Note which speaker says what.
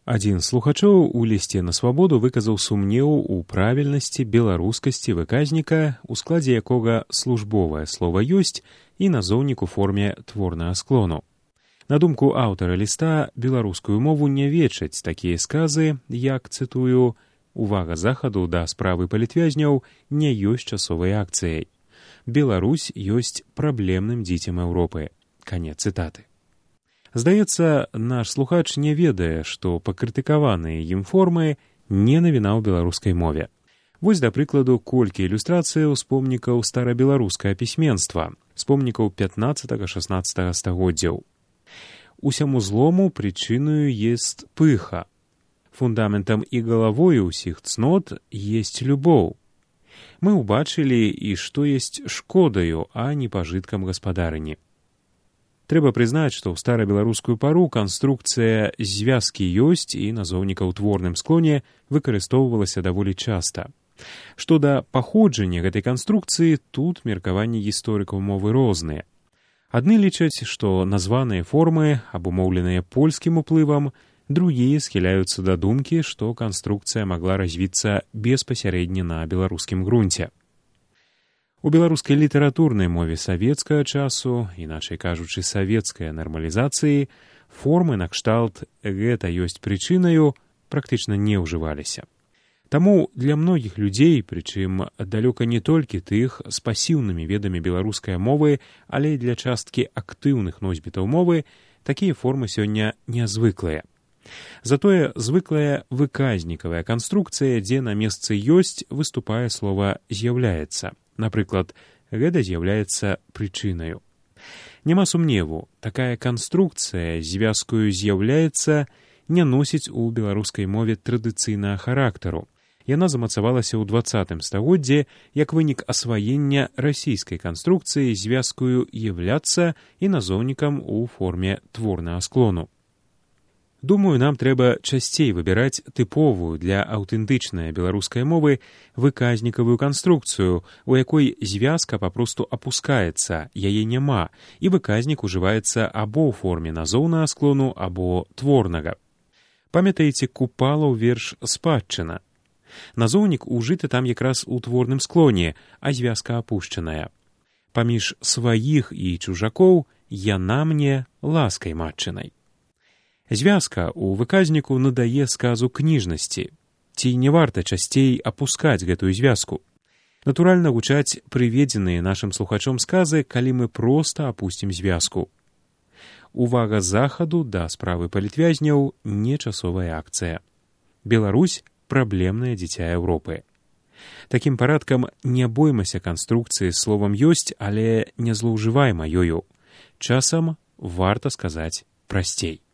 Speaker 1: Адзін з слухачоў у лісце на свабоду выказаў сумнеў у правільнасці беларускасці выказніка, у складзе якога службовае слова ёсць і назоўнік у форме творнага склону. На думку аўтара ліста, беларускую мову не вечаць такія сказы, як, цытую, «Увага захаду да справы палітвязняў не ёсць часовай акцыяй. Беларусь ёсць праблемным дзіцем Еўропы». Канец цытаты. Здаецца, наш слухач не ведае, што пакрытыкаваныя ім формы не навіна ў беларускай мове. Вось, да прыкладу, колькі ілюстрацыяў з помнікаў старабеларускага пісьменства, з помнікаў 15-16 стагоддзяў. Усяму злому прычыною есть пыха. Фундаментам і галавою ўсіх цнот есть любоў. Мы ўбачылі, і што есть шкодаю, а не пажыткам гаспадарыні. Трэба прызнаць, што ў старабеларускую пару канструкцыя звязкі ёсць і назоўніка ў творным склоне выкарыстоўвалася даволі часта. Што да паходжання гэтай канструкцыі, тут меркаванні гісторыкаў мовы розныя. Адны лічаць, што названыя формы абумоўленыя польскім уплывам, другія схіляюцца да думкі, што канструкцыя магла развіцца беспасярэдне на беларускім грунце. У беларускай літаратурнай мове савецкага часу, іначай кажучы, савецкай нармалізацыі, формы накшталт «гэта ёсць прычынаю» практычна не ўжываліся. Таму для многіх людзей, прычым далёка не толькі тых з пасіўнымі ведамі беларускай мовы, але і для часткі актыўных носьбітаў мовы, такія формы сёння нязвыклыя. Затое звыклая выказнікавая канструкцыя, дзе на месцы ёсць, выступае слова «з'яўляецца». Напрыклад, гэта з'яўляецца прычынаю. Няма сумневу, такая канструкцыя звязкаю «з'яўляецца» не носіць у беларускай мове традыцыйнага характару. Яна замацавалася ў 20 стагоддзі як вынік асваення расійскай канструкцыі звязкаю «являцца» і назоўнікам у форме творнага склону. Думаю, нам трэба часцей выбіраць тыповую для аўтэнтычнай беларускай мовы выказнікавую канструкцыю, у якой звязка папросту апускаецца, яе няма, і выказнік ужываецца або ў форме назоўнага склону, або творнага. Памятаеце Купалаў верш «Спадчына»? Назоўнік ужыты там якраз у творным склоне, а звязка апушчаная. Паміж сваіх і чужакоў яна мне ласкай матчынай. Звязка ў выказніку надае сказу кніжнасці. Ці не варта часцей апускаць гэтую звязку? Натуральна гучаць прыведзеныя нашым слухачом сказы, калі мы проста апусцім звязку. Увага захаду да справы палітвязняў не часовая акцыя. Беларусь – праблемнае дзіця Еўропы. Такім парадкам не боймася канструкцыі з словам ёсць, але не злоўжывайма ёю. Часам варта сказаць прасцей.